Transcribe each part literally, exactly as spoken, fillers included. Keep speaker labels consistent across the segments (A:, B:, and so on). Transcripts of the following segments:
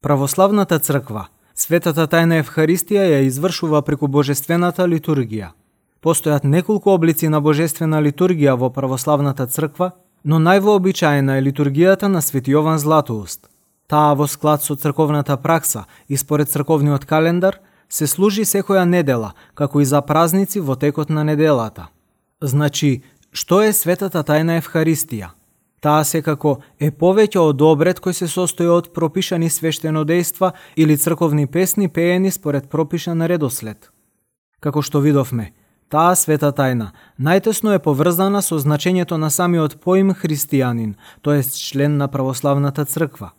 A: Православната црква, светата тајна Евхаристија ја извршува преку божествената литургија. Постојат неколку облици на божествена литургија во православната црква, но највообичаена е литургијата на Свети Јован Златоуст. Таа во склад со црковната пракса и според црковниот календар се служи секоја недела, како и за празници во текот на неделата. Значи, што е светата тајна Евхаристија? Таа секако е повеќе од обред кој се состои од пропишани свештенодејства или црковни песни пеени според пропишан редослед. Како што видовме, таа света тајна најтесно е поврзана со значењето на самиот поим христијанин, тоест член на православната црква.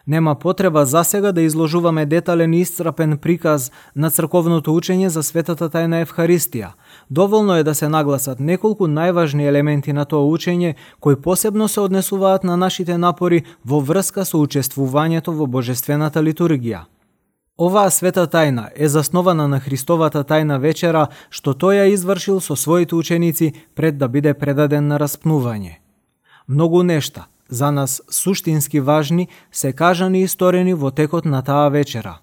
A: Нема потреба засега да изложуваме детален и исцрпен приказ на црковното учење за светата тајна Евхаристија. Доволно е да се нагласат неколку најважни елементи на тоа учење кои посебно се однесуваат на нашите напори во врска со учествувањето во божествената литургија. Оваа света тајна е заснована на Христовата тајна вечера, што тој ја извршил со своите ученици пред да биде предаден на распнување. Многу нешта, за нас суштински важни, се кажани и сторени во текот на таа вечера.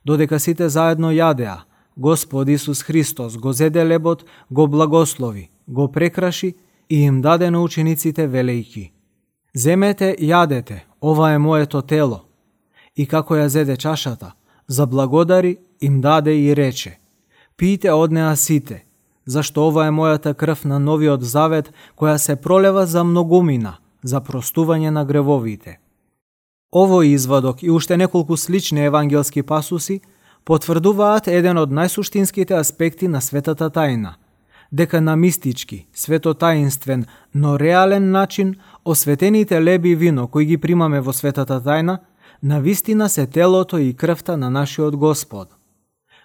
A: Додека сите заедно јадеа, Господ Исус Христос го зеде лебот, го благослови, го прекраши и им даде на учениците велејки: "Земете, јадете, ова е моето тело." И како ја зеде чашата, заблагодари, им даде и рече: "Пијте од неа сите, зашто ова е мојата крв на новиот завет, која се пролева за многумина, за простување на гревовите." Овој извадок и уште неколку слични евангелски пасуси потврдуваат еден од најсуштинските аспекти на светата тајна, дека на мистички, светотаинствен, но реален начин осветените леби и вино кои ги примаме во светата тајна, навистина се телото и крвта на нашиот Господ.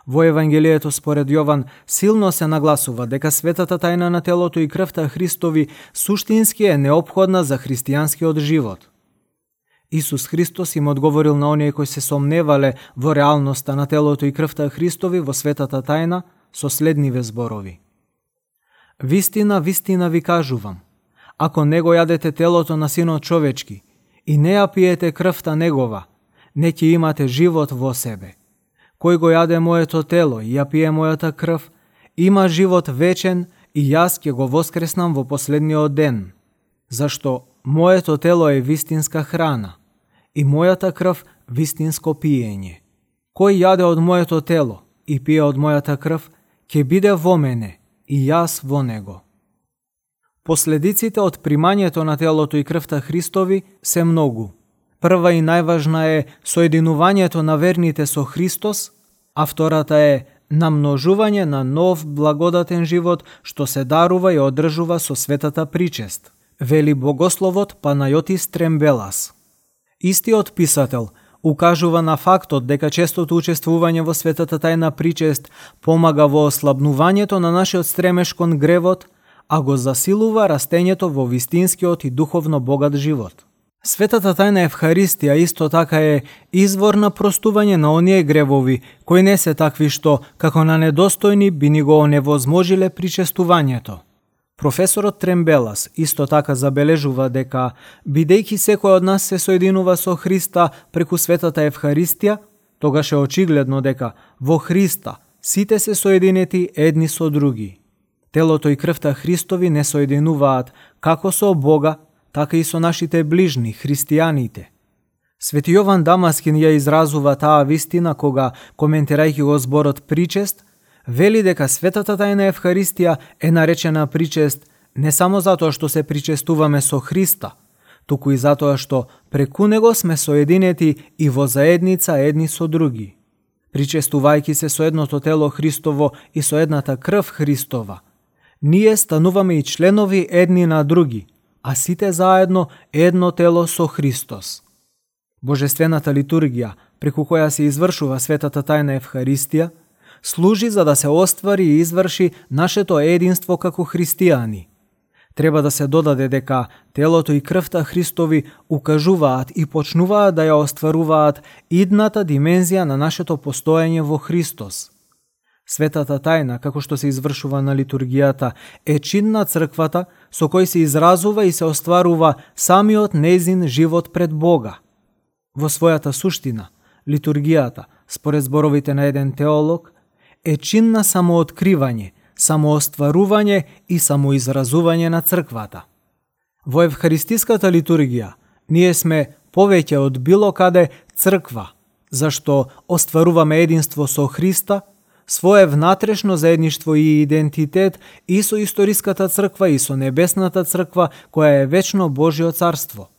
A: Во Евангелието според Јован силно се нагласува дека светата тајна на телото и крвта Христови суштински е неопходна за христијанскиот живот. Исус Христос им одговорил на оние кои се сомневале во реалноста на телото и крвта Христови во светата тајна со следниве зборови: "Вистина, вистина ви кажувам, ако не го јадете телото на Синот човечки и не ја пиете крвта негова, не ќе имате живот во себе. Кој го јаде моето тело и ја пие мојата крв, има живот вечен и јас ќе го воскреснам во последниот ден, зашто моето тело е вистинска храна и мојата крв вистинско пиење. Кој јаде од моето тело и пие од мојата крв, ќе биде во мене и јас во него." Последиците од примањето на телото и крвта Христови се многу. Прва и најважна е соединувањето на верните со Христос, а втората е намножување на нов благодатен живот што се дарува и одржува со светата причест, вели богословот Панајотис Трембелас. Истиот писател укажува на фактот дека честото учествување во светата тајна причест помага во ослабнувањето на нашиот стремеж кон гревот, а го засилува растењето во вистинскиот и духовно богат живот. Светата тајна Евхаристија исто така е извор на простување на оние гревови кои не се такви што, како на недостојни, би ни го оневозможиле причестувањето. Професорот Трембелас исто така забележува дека, бидејќи секој од нас се соединува со Христа преку светата Евхаристија, тогаш е очигледно дека во Христа сите се соединети едни со други. Телото и крвта Христови не соединуваат како со Бога, така и со нашите ближни, христијаните. Свети Јован Дамаскин ја изразува таа вистина кога, коментирајќи го зборот причест, вели дека светата тајна Евхаристија е наречена причест не само затоа што се причестуваме со Христа, туку и затоа што преку него сме соединети и во заедница едни со други. Причестувајќи се со едното тело Христово и со едната крв Христова, ние стануваме и членови едни на други, а сите заедно едно тело со Христос. Божествената литургија, преку која се извршува светата тајна Евхаристија, служи за да се оствари и изврши нашето единство како христијани. Треба да се додаде дека телото и крвта Христови укажуваат и почнуваат да ја остваруваат идната димензија на нашето постоење во Христос. Светата тајна, како што се извршува на литургијата, е чин на црквата со кој се изразува и се остварува самиот нејзин живот пред Бога. Во својата суштина, литургијата, според зборовите на еден теолог, е чин на самооткривање, самоостварување и самоизразување на црквата. Во евхаристиската литургија ние сме повеќе од било каде црква, зашто остваруваме единство со Христа, свое внатрешно заедништво и идентитет и со историската црква и со небесната црква која е вечно Божјо царство.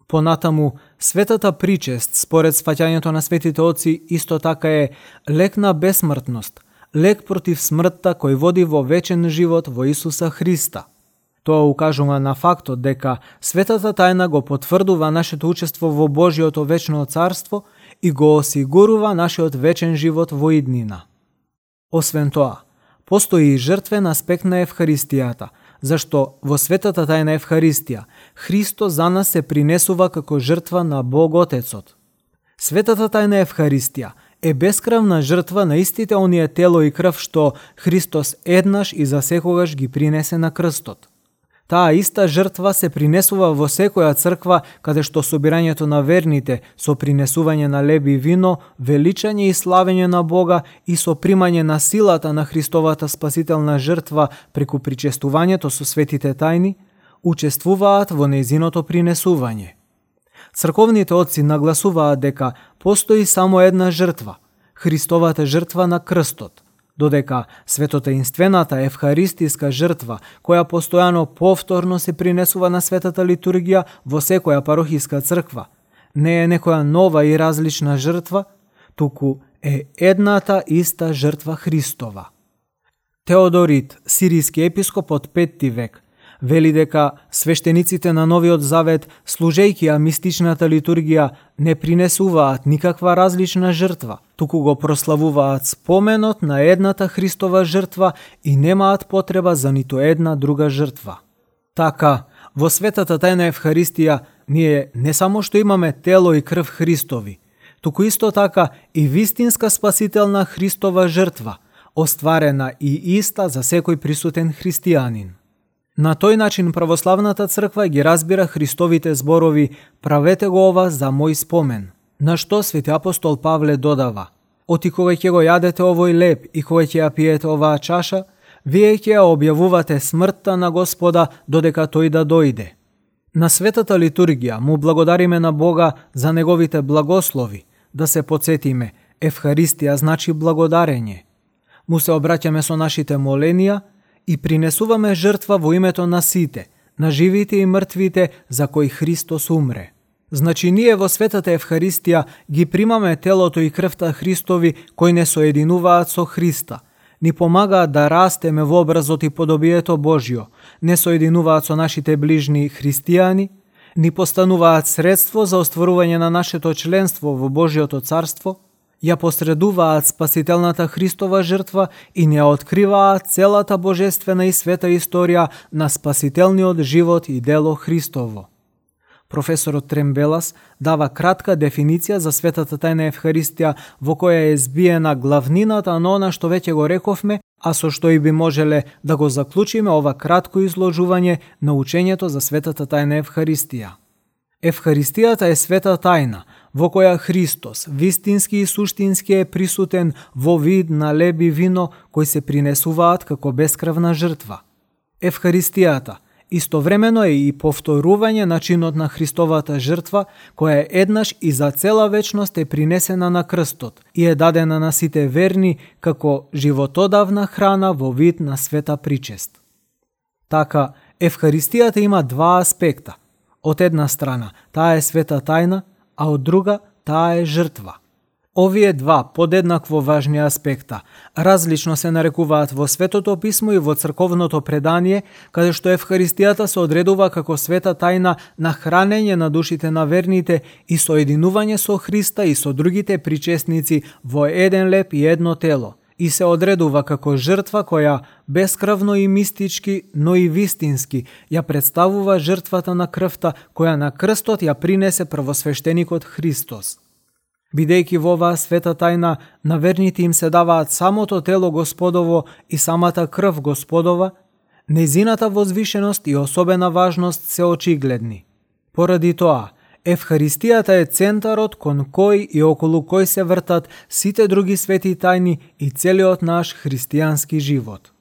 A: Понатаму, светата причест, според сфаќањето на светите отци, исто така е лек на бесмртност, лек против смртта кој води во вечен живот во Исуса Христа. Тоа укажува на фактот дека светата тајна го потврдува нашето учество во Божјото вечно царство и го осигурува нашиот вечен живот во иднина. Освен тоа, постои и жртвен аспект на Евхаристијата, зашто во светата тајна Евхаристија Христос за нас се принесува како жртва на Бог Отецот. Светата тајна Евхаристија е бескрвна жртва на истите оние тело и крв што Христос еднаш и засекогаш ги принесе на крстот. Таа иста жртва се принесува во секоја црква каде што собирањето на верните со принесување на леб и вино, величање и славење на Бога и со примање на силата на Христовата спасителна жртва преку причестувањето со светите тајни, учествуваат во нејзиното принесување. Црковните отци нагласуваат дека постои само една жртва, Христовата жртва на крстот, додека светотаинствената евхаристиска жртва, која постојано повторно се принесува на светата литургија во секоја парохиска црква, не е некоја нова и различна жртва, туку е едната иста жртва Христова. Теодорит, сиријски епископ од петти век, вели дека свештениците на Новиот Завет, служејќи ја мистичната литургија, не принесуваат никаква различна жртва, туку го прославуваат споменот на едната Христова жртва и немаат потреба за ниту една друга жртва. Така, во светата тајна Евхаристија, ние не само што имаме тело и крв Христови, туку исто така и вистинска спасителна Христова жртва, остварена и иста за секој присутен христијанин. На тој начин православната црква ги разбира Христовите зборови «Правете го ова за мој спомен», на што свети апостол Павле додава: «Оти кога ќе го јадете овој леб и кога ќе ја пиете оваа чаша, вие ќе ја објавувате смртта на Господа додека тој да дојде». На светата литургија му благодариме на Бога за неговите благослови, да се подсетиме, Евхаристија значи благодарење. Му се обраќаме со нашите моленија и принесуваме жртва во името на сите, на живите и мртвите за кои Христос умре. Значи ние во светата Евхаристија ги примаме телото и крвта Христови кои не соединуваат со Христа, ни помагаат да растеме во образот и подобието Божјо, не соединуваат со нашите ближни христијани, ни постануваат средство за остварување на нашето членство во Божјото царство, ја посредуваат спасителната Христова жртва и не откриваат целата божествена и света историја на спасителниот живот и дело Христово. Професорот Трембелас дава кратка дефиниција за светата тајна Евхаристија во која е збиена главнината на она што веќе го рековме, а со што и би можеле да го заклучиме ова кратко изложување на учењето за светата тајна Евхаристија. Евхаристијата е света тајна, во која Христос, вистински и суштински е присутен во вид на леб и вино кои се принесуваат како бескрвна жртва. Евхаристијата истовремено е и повторување на чинот на Христовата жртва, која еднаш и за цела вечност е принесена на крстот и е дадена на сите верни како животодавна храна во вид на света причест. Така, Евхаристијата има два аспекта. Од една страна, таа е света тајна, а од друга, таа е жртва. Овие два подеднакво важни аспекта различно се нарекуваат во Светото Писмо и во црковното предание, каде што Евхаристијата се одредува како света тајна на хранење на душите на верните и соединување со Христа и со другите причесници во еден леб и едно тело, и се одредува како жртва која бескрвно и мистички, но и вистински ја представува жртвата на крвта која на крстот ја принесе првосвештеникот Христос. Бидејќи во оваа света тајна на верните им се даваат самото тело Господово и самата крв Господова, нејзината возвишеност и особена важност се очигледни. Поради тоа, Евхаристијата е центарот кон кој и околу кој се вртат сите други свети тајни и целиот наш христијански живот.